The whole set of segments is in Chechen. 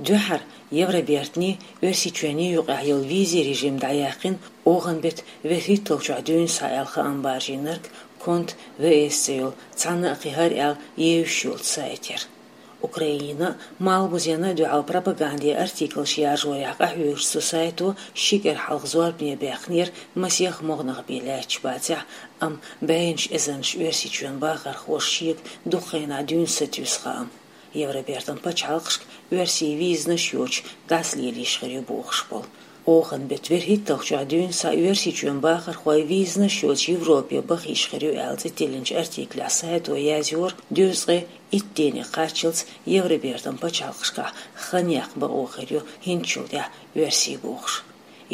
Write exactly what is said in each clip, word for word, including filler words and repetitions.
Дуьххьара Евробертанний Оьрсийчоьнний юкъахь йолу визийн режим дӀаяьккхина оханан беттан вуьрхӀитталгӀачохь дуьйна схьа аьлла хаам баржийнарг Конт В С цӀе йолу цхьанна а кхин хӀара аьлла евзаш йолчу сайтера. Украинина а, Малхбузена а дуьхьал пропагандин артиклаш яржорехь къахьоьгучу цу сайто ши кӀира хьалха зорбане баьккхинера масех могӀанах бен лаьтташ бацахь, амма бӀеннаш эзарнаш Оьрсийчоьнан бахархоша шега дукха хенахь дуьйна сатуьйсу хаам. Евробертан пачхьалкхашка оьрсий визанаш йоцуш дӀасалелийша хир ю бохуш болу. Оханан беттан вуьрхӀитталгӀачохь дуьйна схьа Оьрсийчоьнан бахархой визанаш йоцуш Европе баха йиш хир ю аьлла цӀе тиллинчу артиклехь сайто язйора, дезткъе итт ден кхаччалц Евробертан пачхьалкхашкахь хан яккха бакъо хир ю хӀинцачул тӀаьхьа оьрсий бохуш.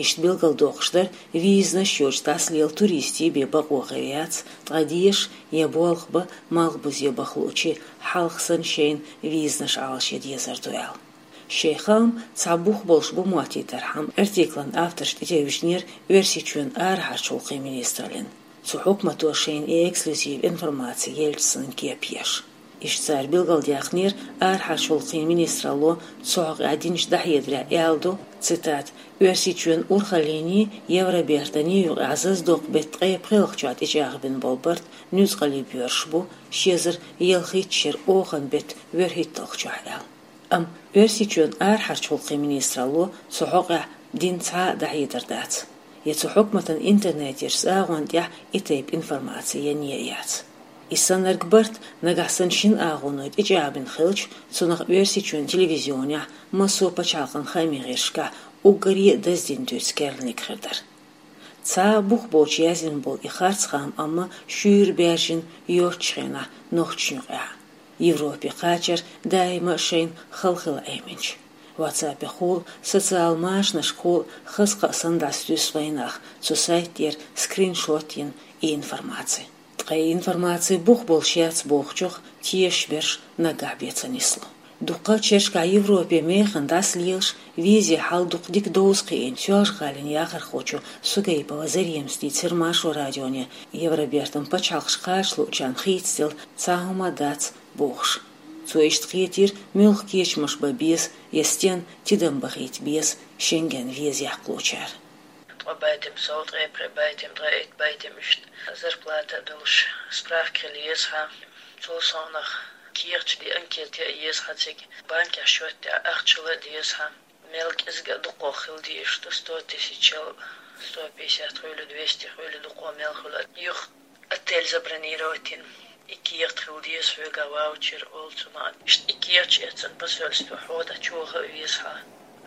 Иштта билгалдоккхуш дара визанаш йоцуш дӀасалела туристийн бен бакъо хир яц, ткъа деша я болх бан, Малхбузе баха луучийн хьалха санна шайна визанаш Ӏалашъян дезар ду аьлла. Шайн хаам цхьа бух болуш бу моттийтархьама, артиклан авторш тӀетевжинера Оьрсийчоьнан арахьарчу гӀуллакхийн министраллина. Цу хьукмато шайна и эксклюзив информаци елча санна кеп еш. Иштта цара билгалдаьккхинера, арахьарчу гӀуллакхийн министралло цу хьокъехь динчу дӀахьедарехь аьлла ду, цитата: «Оьрсийчоьнан урхаллиний, Евробертаний юкъахь зазадоккху беттан ткъе пхеалгӀачохь тӀечӀагӀбина болу барт нуьцкъала боьрзуш бу, ши эзар ялхитта шеран оханан беттан вуьрхӀитталгӀачохь», аьлла. Амма Оьрсийчоьнан арахьарчу гӀуллакхийн министралло цу хьокъехь дина цхьа а дӀахьедар дац. Я цу хьукматан интернетерчу агӀонна тӀехь и тайпа информаци ян а яц. И саннарг барт, нагахь санна шина агӀоной тӀечӀагӀбина хилча, цунах Оьрсийчоьнан телевизионехь, массо а пачхьалкхан хаамийн гӀирсашкахь уггаре а даздина дуьйцу керланиг хир дара. Цхьа а бух боцуш яздина болу и харц хаам амма шуьйра баьржина йоцчу хенахь нохчашна юкъахь. Европе кхачар даима а шайна хала хила Ӏеминчу. WhatsApp-ехула, социал машанашкахула хаза-кхаа санна дӀасатуьйсу вайнах, цу сайт тӀера скриншот йина и информаци. Ткъа и информаци бух болуш яц бохучух тешаш берш наггахь бен ца нисло. Дуккха а шерашкахь Европе механа дӀасалелаш, визийн хьал дукха дика довза кхиийна Соьлжа-ГӀалин яхархочо Сугаипова Заремас дийцира Маршо радионе, Евробертан пачхьалкхаш кхача луучарна хийцаделла цхьа хӀума а дац бохуш. Цо иштта кхетийра, муьлха кечамаш бан беза я стенна тидам бахийта беза Шенген виза яккхалучара. Ткъа байтам сов, ткъе пхи байтам, ткъе итт байтам, иштта зарплата а долуш справка хила еза хьан. Цул совнах кехаташ де анкета а еза хьан цига, банкехь счёт тӀехь ахча а деза хьан. Мел кӀезиг а дукха хила дезаш ду, сто тысячал, сто пятьдесят хуьлу, двести хуьлу, дукха мел хуьлу. Юха отель забронировать йина, и кехат хила деза хьоьга, ваучер олу цунах. Иштта и кехаташ эцна посольство хьо дӀачуяха а веза хьан.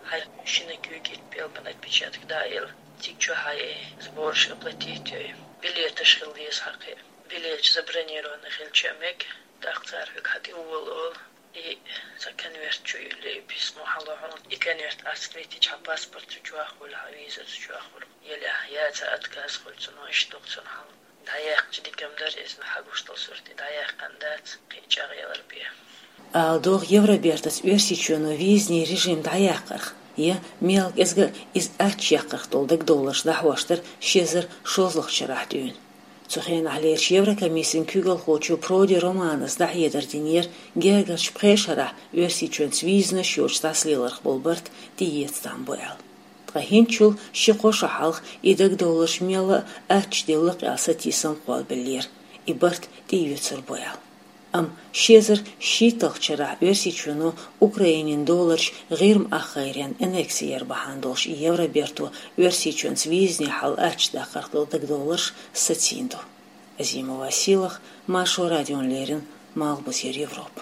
Хьайн шина куьйга итт пӀелган отпечаток дӀа а елла, цига чохь хьайн сбораш оплатить йой. Билеташ хила деза хьан кхин. Билеташ забронированный хилча а мега, тӀаккха цара хьоьга хьан тӀе волу олу. И цхьа конверт чу юьллий, письмо хьан ло хьуна. И конверт Ӏасквитича, хьан паспорт цу чохь хуьлу, хьан виза цу чохь хуьлу. Елехь я цхьа отказ хуьлу цунах, иштта ду-кх цунах хьал. ДӀаяьккхича дика-м дара иза, хьан гуш долу сурт и дӀаяьккхина дац, кхин чӀагӀъялар бен. Ала догӀу, Евробертаца Оьрсийчоьно визаний режим дӀаяккхарх я мел кӀезиг а иза аччаяккхарх долу дагадовларш дӀахьош дара ши эзар шолгӀачу шарахь дуьйна. Цу хенахь лерчу Еврокомиссин куьйгалхочо Проди Романас дӀахьедар динера, гергарчу пхеа шарахь Оьрсийчоьнца визанаш йоцуш дӀасалеларх болу барт тӀеэца там бу аьлла. Ткъа хӀинцачул ши-кхо шо хьалха и дагадовларш мелла а аччаделла-кх аьлла сатийсам кхоллабеллера, и барт тӀеоьцур бу аьлла. Амма ши эзар шийтталгӀачу шарахь Оьрсийчоьно Украинин долларш ГӀирма ахгӀайренна аннекси яр бахьана долуш и Евроберто Оьрсийчоьнца визаний хьал аччадаккхарх долу дагадовларш сацийна ду. Азимова Силах, Маршо радиона леррина, Малхбузера Европа.